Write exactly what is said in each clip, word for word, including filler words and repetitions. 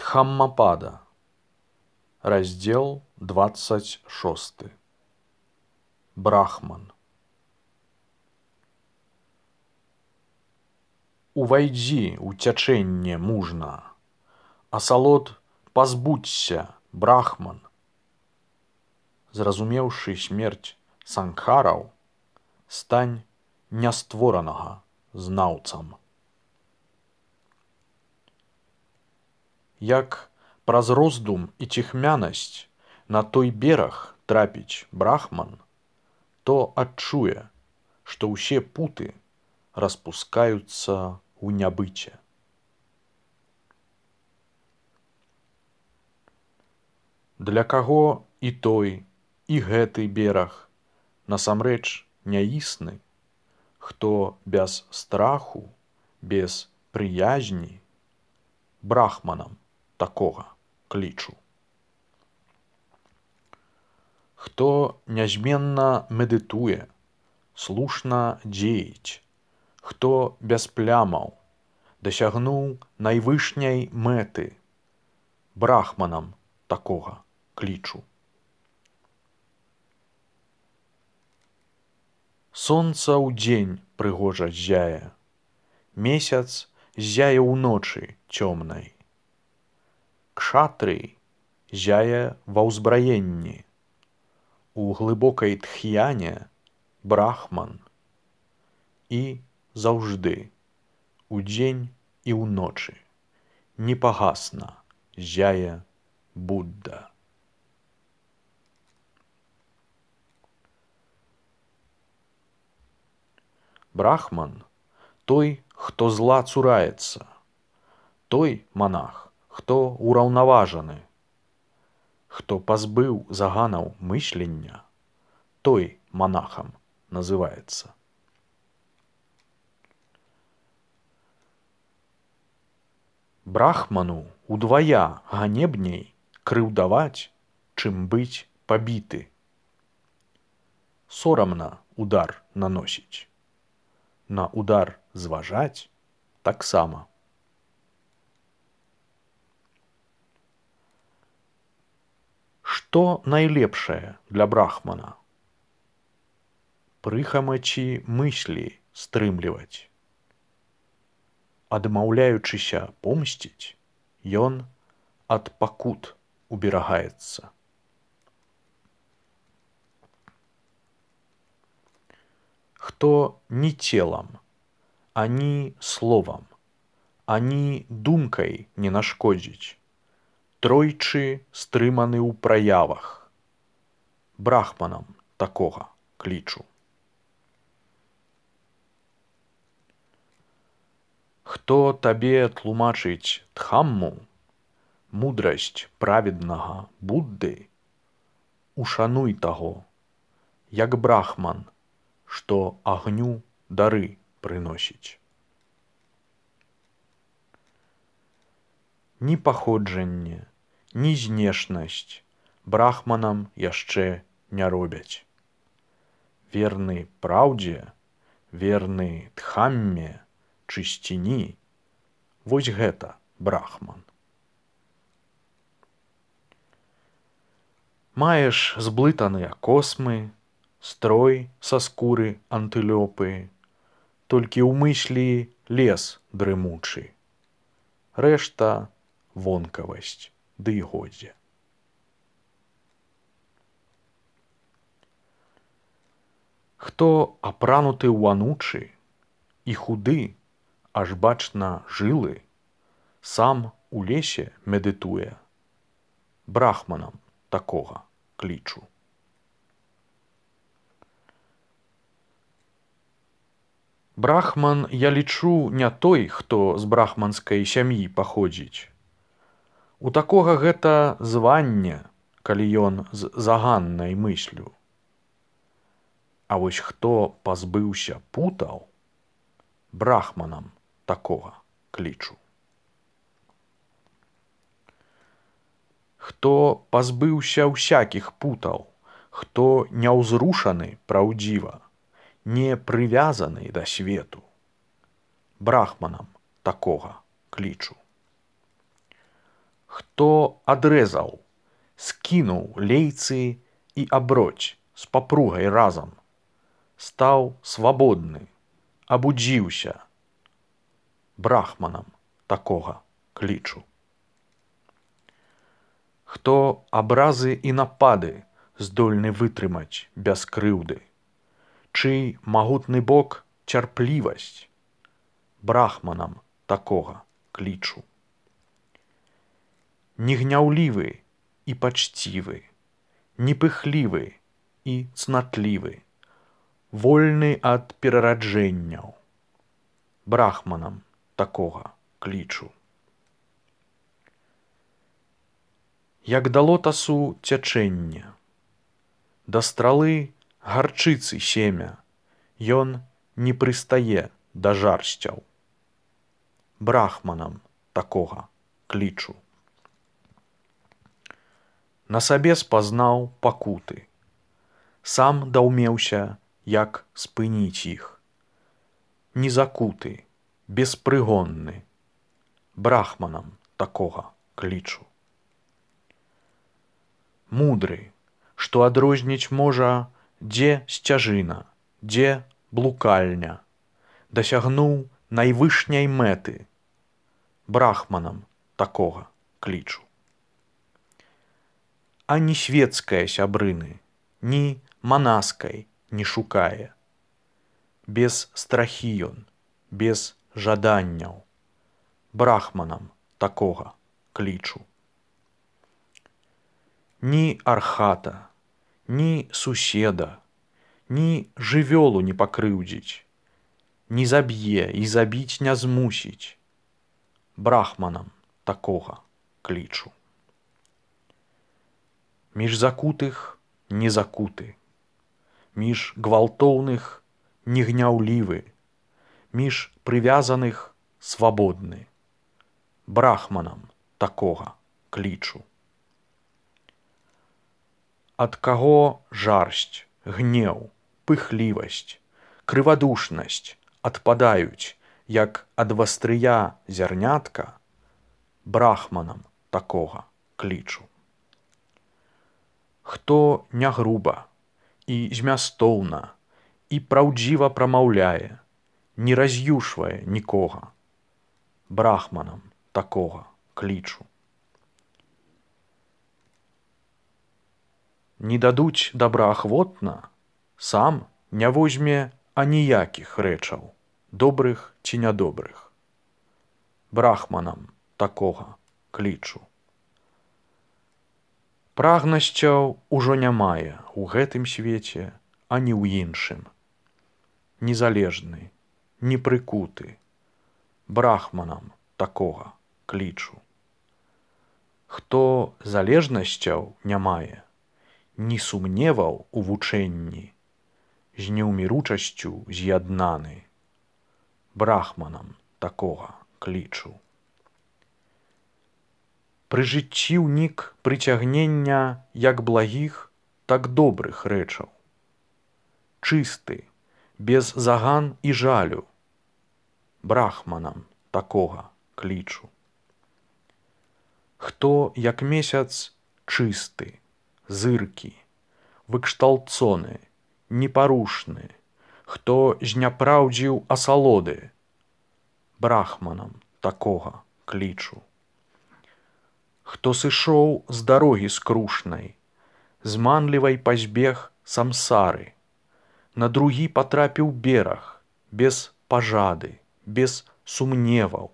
Дхаммапада. Раздел двадцать шесты. Брахман. Увайдзі ў цячэнне мужна, асалод пазбудзься, брахман. Зразумеўшы смерць сангхараў, стань нястворанага знаўцам. Як праз роздум і ціхмянасць на той бераг трапіць брахман, то адчуе, што ўсе путы распускаюцца ў нябыце. Для каго і той, і гэты бераг насамрэч няісны, хто без страху, без прыязні, брахманам такога клічу. Хто нязменна медытуе, слушна дзеяць, хто без плямаў дасягнуў найвышняй мэты, брахманам такога клічу. Сонца ўдзень прыгожа ззяе, месяц ззяе ўночы цёмнай. Кшатрый ззяе ва ўзбраенні, у глыбокай тхьяне брахман. І заўжды, удзень і ўночы, непагасна ззяе Будда. Брахман – той, хто зла цураецца, той манах, хто ураўнаважаны, хто пазбыў заганаў мыслення, той манахам называецца. Брахману удвая ганебней крыўдаваць, чым быць пабіты. Сорамна удар наносіць, на удар зважаць таксама. Што найлепшае для брахмана? Прыхамачі мыслі стрымліваць. Адмаўляючыся помсціць, ён ад пакут уберагаецца. Хто ні целам, ані словам, ані думкай не нашкодзіць, тройчы стрыманы ў праявах, брахманам такога клічу. Хто табе тлумачыць дхамму, мудрасць праведнага Будды, ушануй таго, як брахман, што агню дары прыносіць. Ні паходжанне, ні знешнасць брахманам яшчэ не робяць. Верны праўдзе, верны дхамме, чысціні – вось гэта брахман. Маеш зблытаныя космы, строй са скуры антылёпы, толькі ў мыслі лес дрымучы, рэшта вонкавасць ды і годзе. Хто апрануты ў анучы і худы, аж бачна жылы, сам у лесе медытуе, брахманам такога клічу. Брахман, я лічу, не той, хто з брахманскай сям'і паходзіць. У такога гэта званне, калі ён з заганнай мыслю. А вось хто пазбыўся путаў, брахманам такога клічу. Хто пазбыўся ўсякіх путаў, хто няўзрушаны праўдзіва, не прывязаны да свету, брахманам такога клічу. хто адрэзаў, скінуў лейцы і аброць з папругай разам, стаў свабодны, абудзіўся, брахманам такога клічу. Хто абразы і напады здольны вытрымаць без крыўды, чый магутны бок цярплівасць, брахманам такога клічу. Негняўлівы і пачцівы, непыхлівы і цнатлівы, вольны ад перараджэнняў, брахманам такога клічу. Як да лотасу цячэнне, да стралы гарчыцы семя, ён не прыстае да жарсцяў, брахманам такога клічу. На сабе спазнаў пакуты, сам даўмеўся, як спыніць іх, незакуты, беспрыгонны, брахманам такога клічу. Мудры, што адрозніць можа, дзе сцяжына, дзе блукальня, дасягнуў найвышняй мэты, брахманам такога клічу. А ні свецкае сябрыны, ні манаскай не шукае. Без страхі ён, без жаданняў, брахманам такога клічу. Ні архата, ні суседа, ні жывёлу не пакрыўдзіць, не заб'е і забіць не змусіць, брахманам такога клічу. Між закутых не закуты, між гвалтоўных негняўлівы, між прывязаных свабодны, брахманам такога клічу. Ад каго жарсць, гнеў, пыхлівасць, крывадушнасць адпадаюць, як ад вастрыя зярнятка, брахманам такога клічу. Хто не груба і змястоўна і праўдзіва прамаўляе, не раз'юшвае нікога, брахманам такога клічу. Не дадуць добраахвотна, сам не возьме аніякіх рэчаў, добрых ці нядобрых, брахманам такога клічу. Прагнасцяў ужо не мае ў гэтым свеце, ані ў іншым. Незалежны, непрыкуты, брахманам такога клічу. Хто залежнасцяў не мае, ні сумневаў у вучэнні, з неўміручасцю з'яднаны, брахманам такога клічу. Пры жыцці ўнік прыцягнення як благіх, так добрых рэчаў. Чысты, без заган і жалю, брахманам такога клічу. Хто, як месяц, чысты, зыркі, выкшталцоны, непарушны, хто зняпраўдзіў асалоды, брахманам такога клічу. Хто сышоў з дарогі скрушнай, зманлівай пазбег самсары, на другі патрапіў бераг, без пажады, без сумневаў,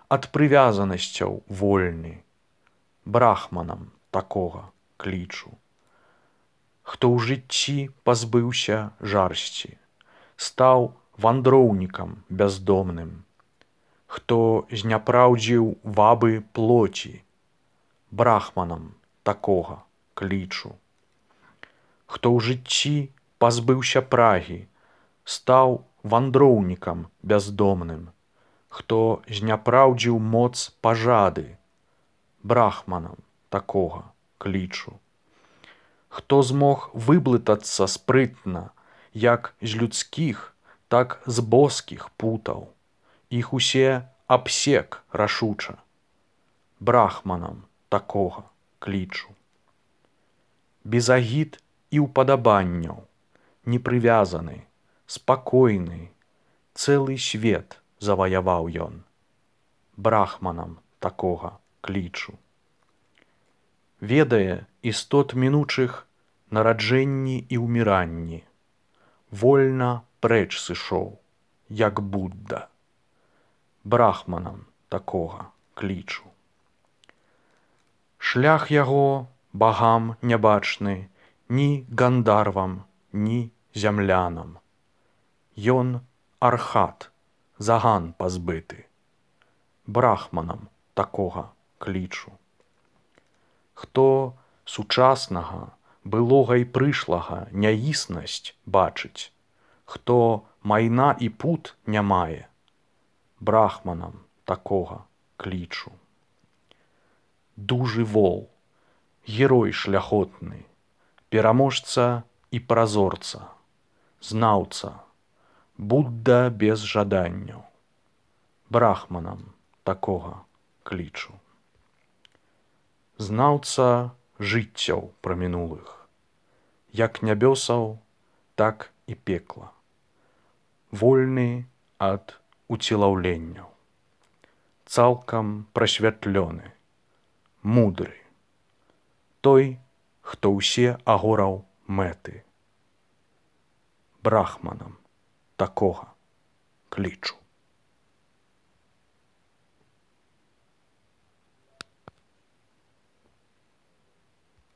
ад прывязанасцяў вольны, брахманам такога клічу. Хто ў жыцці пазбыўся жарсці, стаў вандроўнікам бяздомным, хто зняпраўдзіў вабы плоці, брахманам такога клічу. Хто ў жыцці пазбыўся прагі, стаў вандроўнікам бяздомным, хто зняпраўдзіў моц пажады, брахманам такога клічу. Хто змог выблытацца спрытна, як з людскіх, так з боскіх путаў, іх усе абсек рашуча, брахманам такога клічу. Без агід і ўпадабанняў, непрывязаны, спакойны, цэлы свет заваяваў ён. Брахманам такога клічу. Ведае істот мінучых нараджэнні і ўміранні. Вольна прэч сышоў, як Будда. Брахманам такога клічу. Шлях яго багам нябачны ні гандарвам, ні зямлянам. Ён архат, заган пазбыты. Брахманам такога клічу. Хто сучаснага, былога і прышлага няіснасць бачыць, хто майна і пут не мае, брахманам такога клічу. Дужы вол, герой шляхотны, пераможца і празорца, знаўца, Будда без жаданняў. Брахманам такога клічу. Знаўца жыццяў прамінулых, як нябёсаў, так і пекла. Вольны ад уцелаўленняў, цалкам прасвятлёны, мудры. Той, хто ўсе агораў мэты. Брахманам такога клічу.